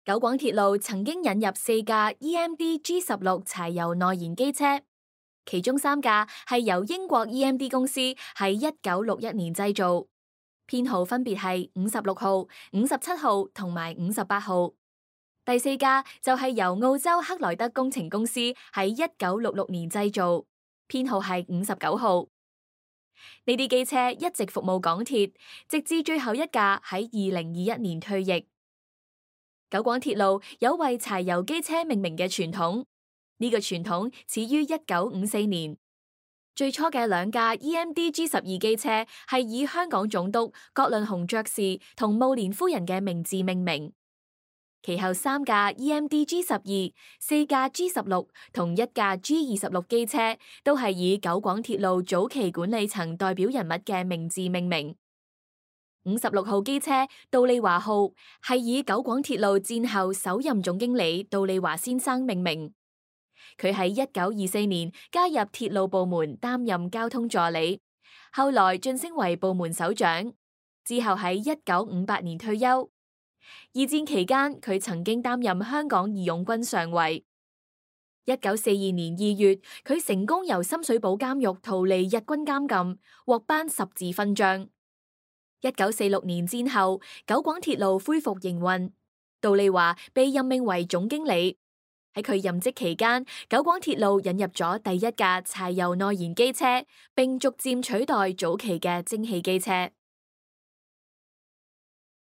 九廣鐵路曾經引入4架 EMD G16柴油內燃機車，其中3架係由英國 EMD 公司喺1961年製造，編號分別係56號、57號同埋58號。第4架就係由澳洲克萊德工程公司喺1966年製造，編號係59號。呢啲機車一直服務港鐵，直至最後一架喺2021年退役。九廣鐵路有為柴油機車命名嘅傳統，呢個傳統始於1954年。最初嘅2架 EMD G12 機車係以香港總督葛倫洪爵士同慕蓮夫人嘅名字命名，其後3架 EMD G12、4架 G16 同1架 G26 機車都係以九廣鐵路早期管理層代表人物嘅名字命名。56號機車杜利華號係以九廣鐵路戰後首任總經理杜利華先生命名，佢喺1924年加入鐵路部門擔任交通助理，後來晉升為部門首長，之後喺1958年退休。二戰期間，佢曾經擔任香港義勇軍上尉。1942年2月，佢成功由深水埗監獄逃離日軍監禁，獲頒十字勳章。1946年戰後，九廣鐵路恢復營運，杜利華被任命為總經理。喺佢任職期間，九廣鐵路引入咗第1架柴油內燃機車，並逐漸取代早期嘅蒸汽機車。